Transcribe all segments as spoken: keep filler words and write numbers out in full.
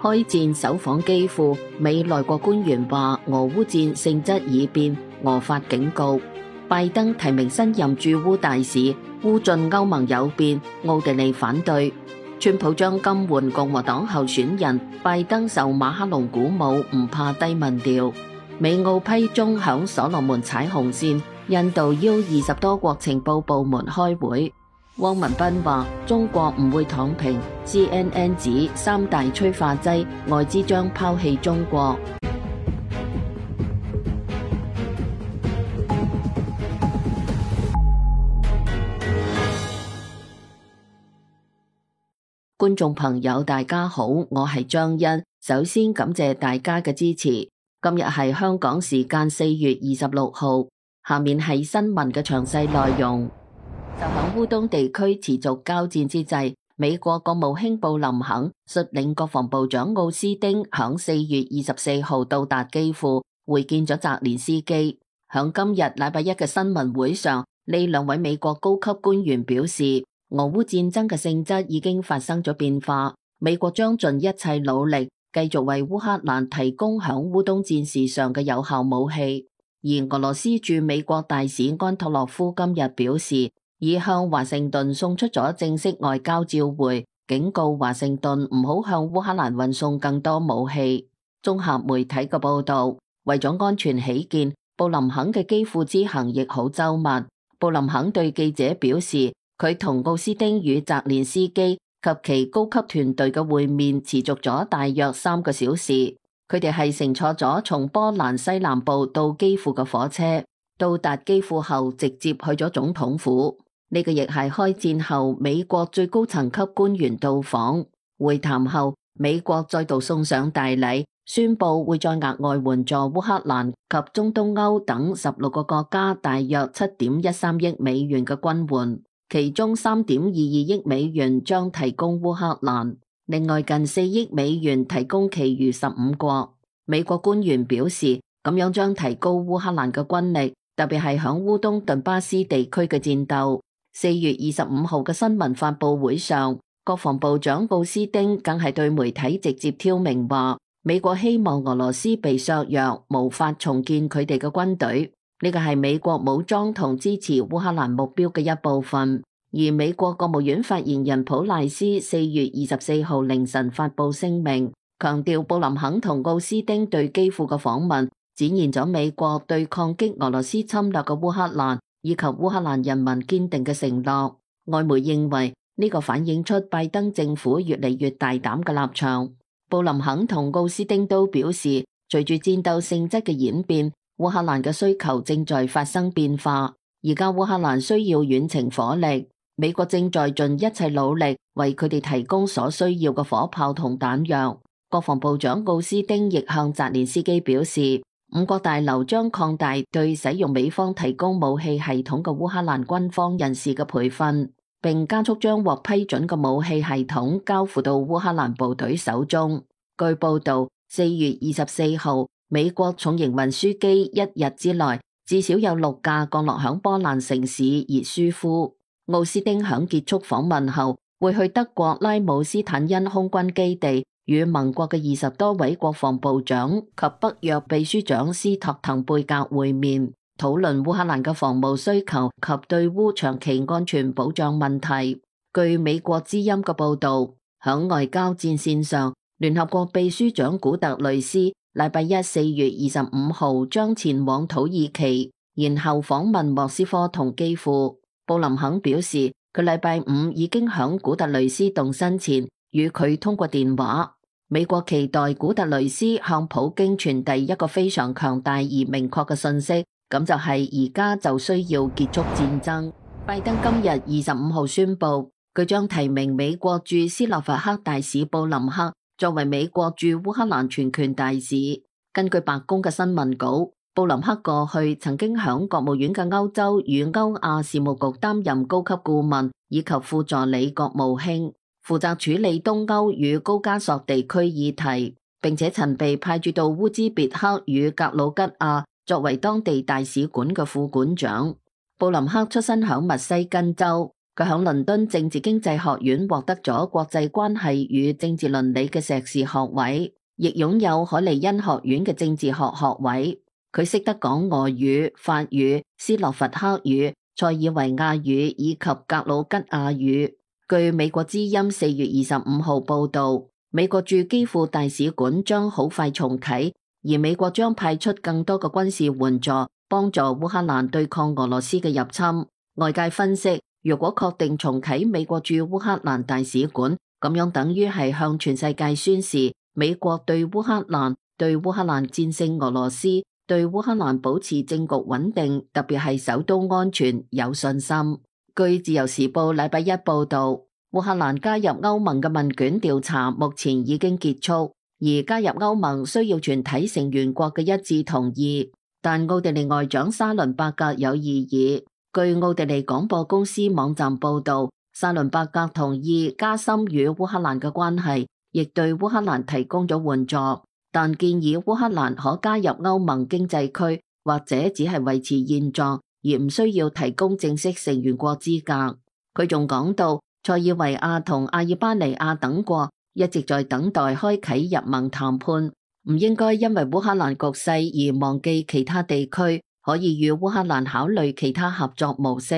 開戰首訪基輔，美內閣官員話俄烏戰性質已變，俄發警告。拜登提名新任駐烏大使，烏進歐盟有變，奧地利反對。川普將金援共和黨候選人，拜登受馬克龍鼓舞，唔怕低民調。美澳批中響所羅門踩紅線，印度邀二十多國情報部門開會。汪文斌話中國唔會躺平 ，C N N 指三大催化劑，外資將拋棄中國。觀眾朋友大家好，我係張欣，首先感謝大家嘅支持。今日係香港時間四月二十六號，下面係新聞嘅詳細內容。就響烏東地區持續交戰之際，美國國務卿布林肯率領國防部長奧斯丁響四月二十四號到達基輔，會見咗澤連斯基。響今日禮拜一嘅新聞會上，呢兩位美國高級官員表示，俄烏戰爭嘅性質已經發生咗變化，美國將盡一切努力繼續為烏克蘭提供響烏東戰事上嘅有效武器。而俄羅斯駐美國大使安托洛夫今日表示，已向華盛頓送出咗正式外交照會，警告華盛頓唔好向烏克蘭運送更多武器。綜合媒體嘅報道，為咗安全起見，布林肯嘅基輔之行亦好周密。布林肯對記者表示，佢同奧斯丁與澤連斯基及其高級團隊嘅會面持續咗大約三個小時。佢哋係乘坐咗從波蘭西南部到基輔嘅火車，到達基輔後直接去咗總統府。呢個亦係開戰後美國最高層級官員到訪。會談後，美國再度送上大禮，宣布會再額外援助烏克蘭及中東歐等十六個國家大約七點一三億美元嘅軍援，其中三點二二億美元將提供烏克蘭，另外近四億美元提供其餘十五國。美國官員表示，咁樣將提高烏克蘭嘅軍力，特別係響烏東頓巴斯地區嘅戰鬥。四月二十五號嘅新聞發佈會上，國防部長奧斯丁更係對媒體直接挑明話，美國希望俄羅斯被削弱，無法重建佢哋嘅軍隊。呢個係美國武裝同支持烏克蘭目標嘅一部分。而美國國務院發言人普賴斯四月二十四號凌晨發佈聲明，強調布林肯同奧斯丁對基輔嘅訪問，展現咗美國對抗擊俄羅斯侵略嘅烏克蘭以及烏克蘭人民堅定嘅承諾。外媒認為呢個反映出拜登政府越嚟越大膽嘅立場。布林肯同奧斯丁都表示，隨住戰鬥性質嘅演變，烏克蘭嘅需求正在發生變化。而家烏克蘭需要遠程火力，美國正在盡一切努力為佢哋提供所需要嘅火炮同彈藥。國防部長奧斯丁亦向澤連斯基表示，五角大樓將擴大對使用美方提供武器系統嘅烏克蘭軍方人士嘅培訓，並加速將獲批准嘅武器系統交付到烏克蘭部隊手中。據報道，四月二十四號，美國重型運輸機一日之內至少有六架降落響波蘭城市熱舒夫。奧斯丁響結束訪問後，會去德國拉姆斯坦因空軍基地，與盟國嘅二十多位國防部長及北約秘書長斯托滕貝格會面，討論烏克蘭嘅防務需求及對烏長期安全保障問題。據美國之音嘅報道，響外交戰線上，聯合國秘書長古特雷斯禮拜一四月二十五號將前往土耳其，然後訪問莫斯科同基輔。布林肯表示，佢禮拜五已經響古特雷斯動身前與佢通過電話。美國期待古特雷斯向普京傳遞一個非常強大而明確嘅信息，咁就係而家就需要結束戰爭。拜登今日二十五號宣布，佢將提名美國駐斯洛伐克大使布林克作為美國駐烏克蘭全權大使。根據白宮嘅新聞稿，布林克過去曾經響國務院嘅歐洲與歐亞事務局擔任高級顧問以及副助理國務卿，負責處理東歐與高加索地區議題，並且曾被派駐到烏茲別克與格魯吉亞作為當地大使館嘅副館長。布林克出身響密西根州，佢響倫敦政治經濟學院獲得咗國際關係與政治倫理嘅碩士學位，亦擁有海利恩學院嘅政治學學位。佢識得講俄語、法語、斯洛伐克語、塞爾維亞語以及格魯吉亞語。據美國之音四月二十五號報道，美國駐基輔大使館將好快重啟，而美國將派出更多嘅軍事援助，幫助烏克蘭對抗俄羅斯嘅入侵。外界分析，如果確定重啟美國駐烏克蘭大使館，咁樣等於係向全世界宣示美國對烏克蘭、對烏克蘭戰勝俄羅斯、對烏克蘭保持政局穩定，特別係首都安全有信心。據自由時報禮拜一報道，烏克蘭加入歐盟嘅問卷調查目前已經結束，而加入歐盟需要全體成員國嘅一致同意。但奧地利外長沙倫伯格有異議。據奧地利廣播公司網站報道，沙倫伯格同意加深與烏克蘭嘅關係，亦對烏克蘭提供咗援助，但建議烏克蘭可加入歐盟經濟區，或者只係維持現狀，而唔需要提供正式成員國資格。佢仲講到，塞爾維亞同阿爾巴尼亞等國一直在等待開啟入盟談判，唔應該因為烏克蘭局勢而忘記其他地區，可以與烏克蘭考慮其他合作模式。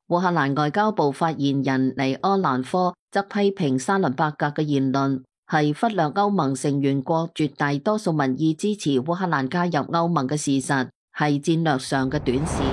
烏克蘭外交部發言人尼柯蘭科則批評沙倫伯格嘅言論係忽略歐盟成員國絕大多數民意支持烏克蘭加入歐盟嘅事實，係戰略上嘅短視。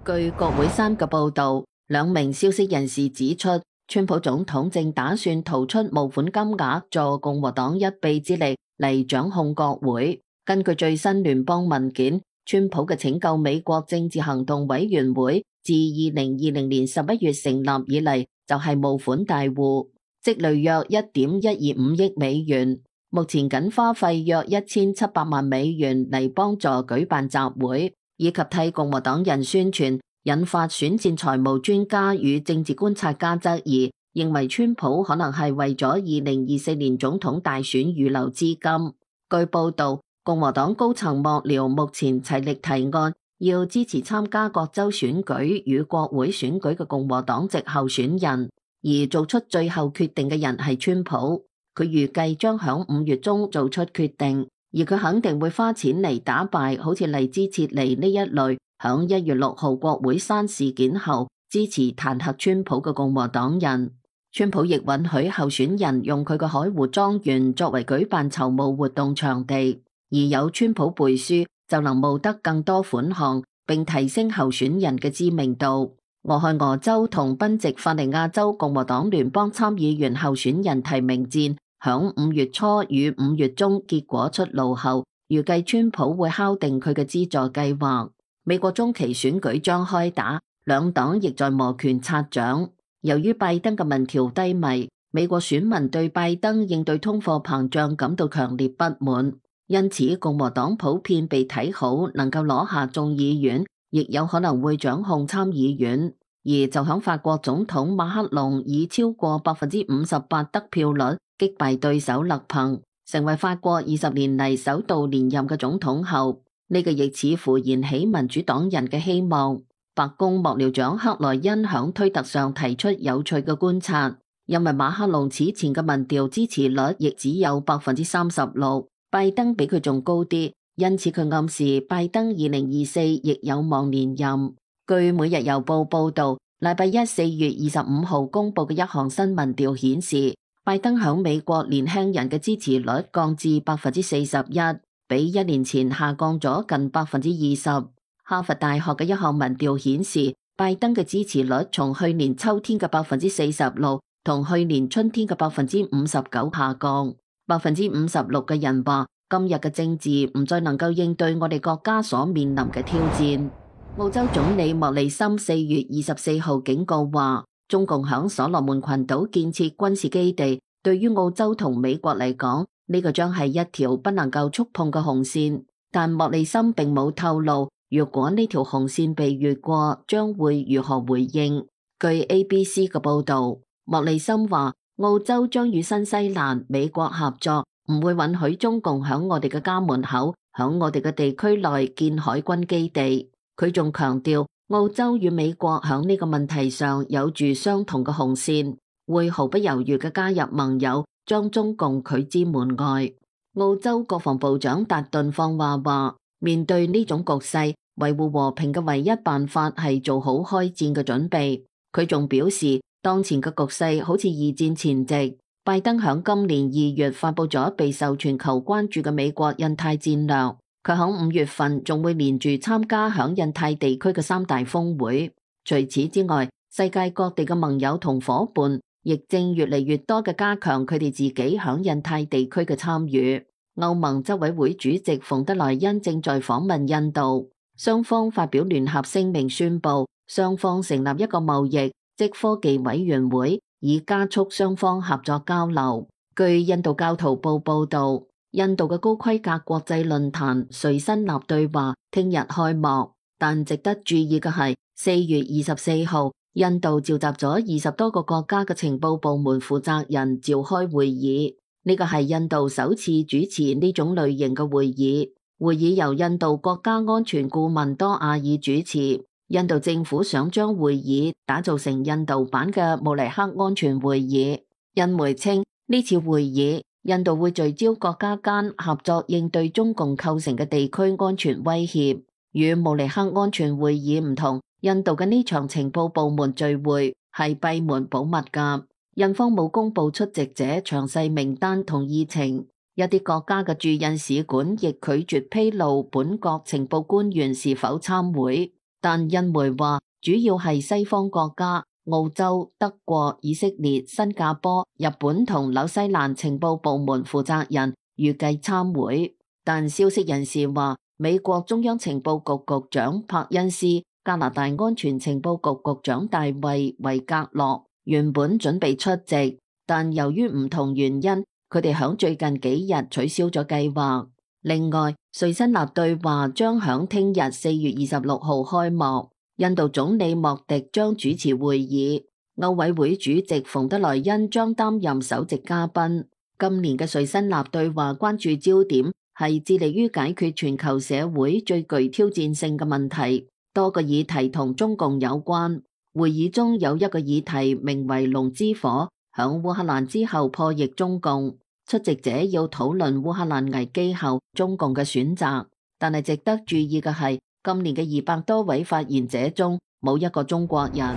據國會山嘅報道，兩名消息人士指出，川普總統正打算掏出募款金額助共和黨一臂之力嚟掌控國會。根據最新聯邦文件，川普嘅拯救美國政治行動委員會自二零二零年十一月成立以嚟，就係募款大戶，積累約一點一二五億美元，目前僅花費約一千七百萬美元嚟幫助舉辦集會，以及替共和黨人宣傳，引發選戰財務專家與政治觀察家質疑，認為川普可能係為咗二零二四年總統大選預留資金。據報道，共和黨高層幕僚目前齊力提案，要支持參加各州選舉與國會選舉嘅共和黨籍候選人，而做出最後決定嘅人係川普。佢預計將響五月中做出決定，而佢肯定會花錢嚟打敗好似黎茲切尼呢一類響一月六號國會山事件後支持彈劾川普嘅共和黨人。川普亦允許候選人用佢嘅海湖莊園作為舉辦籌募活動場地，而有川普背書就能募得更多款項，並提升候選人嘅知名度。俄亥俄州同賓夕法尼亞州共和黨聯邦參議員候選人提名戰響五月初與五月中結果出爐後，預計川普會敲定佢嘅資助計劃。美國中期選舉將開打，兩黨亦在摩拳擦掌。由於拜登嘅民調低迷，美國選民對拜登應對通貨膨脹感到強烈不滿，因此共和黨普遍被睇好能夠攞下眾議院，亦有可能會掌控參議院。而就響法國總統馬克龍以超過百分之五十八得票率擊敗對手勒龐，成為法國二十年嚟首度連任嘅總統後，呢個亦似乎燃起民主黨人嘅希望。白宮幕僚長克萊恩響推特上提出有趣嘅觀察，因為馬克龍此前嘅民調支持率亦只有百分之三十六，拜登比佢仲高啲，因此佢暗示拜登二零二四亦有望連任。據每日郵報報道，禮拜一四月二十五號公布嘅一項新民調顯示，拜登響美國年輕人嘅支持率降至百分之四十一，比一年前下降咗近百分之二十。哈佛大學嘅一項民調顯示，拜登嘅支持率從去年秋天嘅百分之四十六同去年春天嘅百分之五十九下降。百分之五十六嘅人話，今日嘅政治唔再能夠應對我哋國家所面臨嘅挑戰。澳洲總理莫里森四月二十四號警告話，中共響所羅門群島建設軍事基地，對於澳洲同美國嚟講，呢個將係一條不能夠觸碰嘅紅線。但莫里森並冇透露，如果呢條紅線被越過，將會如何回應。據 A B C 嘅報道，莫里森話澳洲將與新西蘭、美國合作，唔會允許中共響我哋嘅家門口、響我哋嘅地區內建海軍基地。佢仲強調，澳洲與美國響呢個問題上有住相同嘅紅線，會毫不猶豫嘅加入盟友，將中共拒之門外。澳洲國防部長達頓放話話，面對呢種局勢，維護和平嘅唯一辦法係做好開戰嘅準備。佢仲表示，當前嘅局勢好似二戰前夕。拜登響今年二月發佈咗備受全球關注嘅美國印太戰略，佢響五月份仲會連住參加響印太地區嘅三大峰會。除此之外，世界各地嘅盟友同夥伴亦正越嚟越多嘅加強佢哋自己響印太地區嘅參與。歐盟執委會主席馮德萊恩正在訪問印度，雙方發表聯合聲明宣布，雙方成立一個貿易即科技委員會，以加速雙方合作交流。據印度教徒報報道，印度嘅高規格國際論壇隨身納對話聽日開幕，但值得注意嘅係，四月二十四號，印度召集咗二十多個國家嘅情報部門負責人召開會議。呢個係印度首次主持呢種類型嘅會議。會議由印度國家安全顧問多亞爾主持。印度政府想將會議打造成印度版嘅慕尼黑安全會議。印媒稱，呢次會議，印度會聚焦國家間合作應對中共構成嘅地區安全威脅。與慕尼黑安全會議唔同，印度嘅呢場情報部門聚會係閉門保密㗎。印方冇公布出席者詳細名單同議程，一啲國家嘅駐印使館亦拒絕披露本國情報官員是否參會，但印媒話主要係西方國家，澳洲、德國、以色列、新加坡、日本同紐西蘭情報部門負責人預計參會，但消息人士話美國中央情報局局長柏恩斯、加拿大安全情報局局長大衛維格洛原本準備出席，但由於唔同原因，佢哋響最近幾日取消咗計劃。另外，瑞辛納對話將響聽日四月二十六號開幕，印度總理莫迪將主持會議，歐委會主席馮德萊恩將擔任首席嘉賓。今年嘅瑞辛納對話關注焦點係致力於解決全球社會最具挑戰性嘅問題，多個議題同中共有關。會議中有一個議題名為龍之火，響烏克蘭之後破譯中共。出席者要討論烏克蘭危機後中共嘅選擇，但係值得注意嘅係，今年嘅二百多位發言者中冇一個中國人。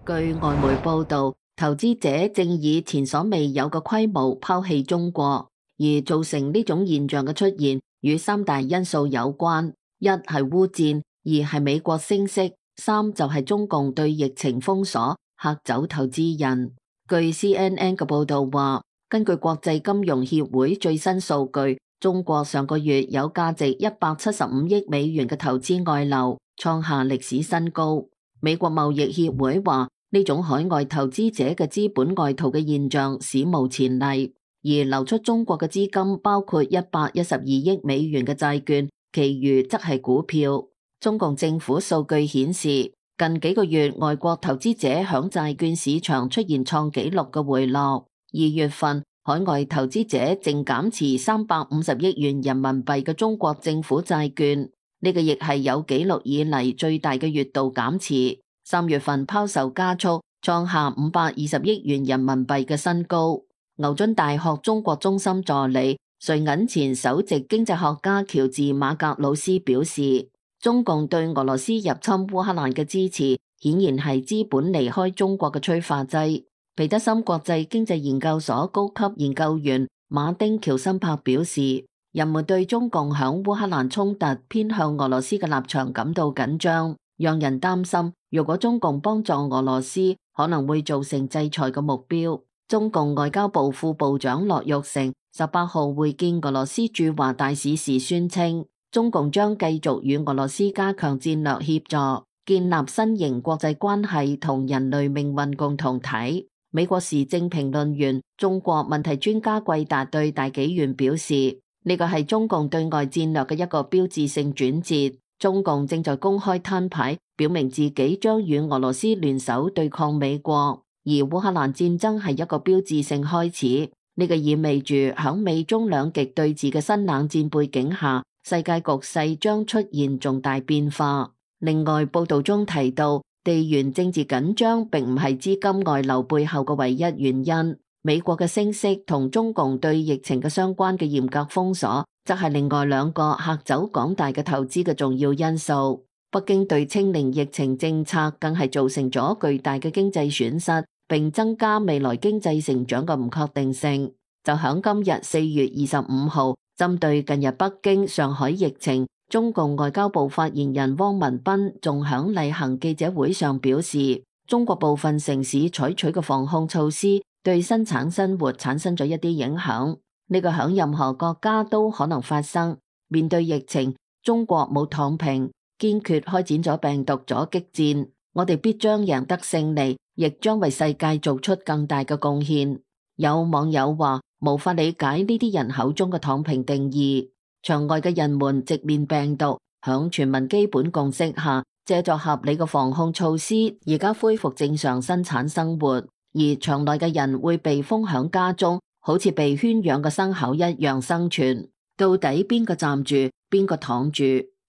據外媒報道，投資者正以前所未有嘅規模拋棄中國，而造成呢種現象嘅出現與三大因素有關：一係烏戰，二係美國升息，三就係中共對疫情封鎖，嚇走投資人。據 C N N 嘅報道話，根據國際金融協會最新數據，中國上個月有價值一百七十五億美元嘅投資外流，創下歷史新高。美國貿易協會話，呢種海外投資者嘅資本外逃嘅現象史無前例，而流出中國嘅資金包括一百一十二億美元嘅債券，其餘則係股票。中共政府數據顯示，近幾個月外國投資者響債券市場出現創紀錄嘅回落。二月份，海外投資者淨減持三百五十億元人民幣嘅中國政府債券，呢個亦係有紀錄以嚟最大嘅月度減持。三月份拋售加速，創下五百二十億元人民幣嘅新高。牛津大學中國中心助理、瑞銀前首席經濟學家喬治馬格魯斯表示，中共對俄羅斯入侵烏克蘭嘅支持，顯然係資本離開中國嘅催化劑。彼得森國際經濟研究所高級研究員馬丁喬森柏表示，人們對中共響烏克蘭衝突偏向俄羅斯嘅立場感到緊張，讓人擔心，如果中共幫助俄羅斯，可能會造成制裁嘅目標。中共外交部副部長駱玉成十八號會見俄羅斯駐華大使時宣稱，中共將繼續與俄羅斯加強戰略協助，建立新型國際關係同人類命運共同體。美國時政評論員、中國問題專家季達對大紀元表示，呢個係中共對外戰略嘅一個標誌性轉折。中共正在公開攤牌，表明自己將與俄羅斯聯手對抗美國，而烏克蘭戰爭係一個標誌性開始。呢個意味住響美中兩極對峙嘅新冷戰背景下，世界局勢將出現重大變化。另外，報道中提到，地緣政治緊張並唔係資金外流背後嘅唯一原因。美國嘅升息同中共對疫情嘅相關嘅嚴格封鎖，則係另外兩個嚇走廣大嘅投資嘅重要因素。北京對清零疫情政策更係造成咗巨大嘅經濟損失，並增加未來經濟成長嘅唔確定性。就響今日四月二十五號，針對近日北京、上海疫情，中共外交部發言人汪文斌仲響例行記者會上表示，中國部分城市採取嘅防控措施對生產生活產生咗一啲影響，呢個響任何國家都可能發生。面對疫情，中國冇躺平，堅決開展咗病毒阻擊戰，我哋必將贏得勝利，亦將為世界做出更大嘅貢獻。有網友話，無法理解呢啲人口中嘅躺平定義。場外嘅人們直面病毒，響全民基本共識下，借助合理嘅防控措施，而家恢復正常生產生活；而場內嘅人會被封響家中，好似被圈養嘅牲口一樣生存。到底邊個站住，邊個躺住？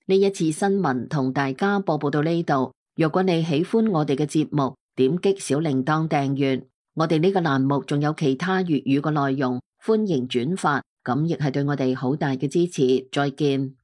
呢一次新聞同大家播報到呢度。若果你喜歡我哋嘅節目，點擊小鈴鐺訂閱。我哋呢個欄目仲有其他粵語嘅內容，歡迎轉發，咁亦係對我哋好大嘅支持。再見。